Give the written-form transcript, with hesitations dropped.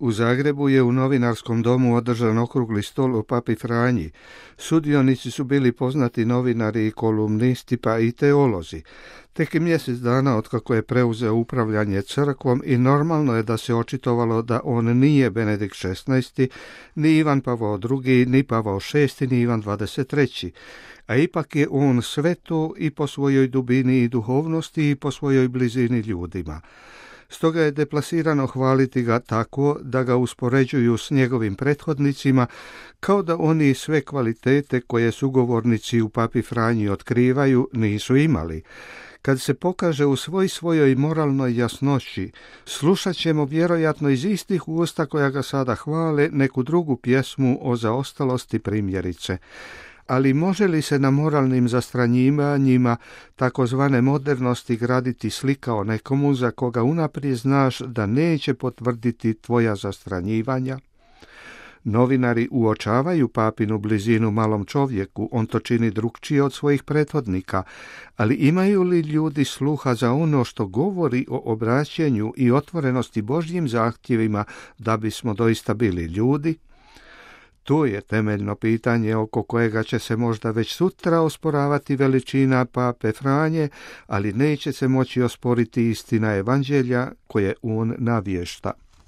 U Zagrebu je u Novinarskom domu održan okrugli stol o papi Franji. Sudionici su bili poznati novinari i kolumnisti, pa i teolozi. Tek mjesec dana otkako je preuzeo upravljanje crkvom i normalno je da se očitovalo da on nije Benedikt XVI, ni Ivan Pavao II, ni Pavao VI, ni Ivan XXIII. A ipak je on sve to i po svojoj dubini i duhovnosti i po svojoj blizini ljudima. Stoga je deplasirano hvaliti ga tako da ga uspoređuju s njegovim prethodnicima, kao da oni sve kvalitete koje sugovornici u papi Franji otkrivaju nisu imali. Kad se pokaže u svojoj moralnoj jasnoći, slušat ćemo vjerojatno iz istih usta koja ga sada hvale neku drugu pjesmu o zaostalosti primjerice. Ali može li se na moralnim zastranjivanjima takozvane modernosti graditi slika o nekomu za koga unaprijed znaš da neće potvrditi tvoja zastranjivanja? Novinari uočavaju papinu blizinu malom čovjeku, on to čini drukčije od svojih prethodnika, ali imaju li ljudi sluha za ono što govori o obraćanju i otvorenosti Božjim zahtjevima da bismo doista bili ljudi? To je temeljno pitanje oko kojega će se možda već sutra osporavati veličina pape Franje, ali neće se moći osporiti istina evanđelja koje on navješta.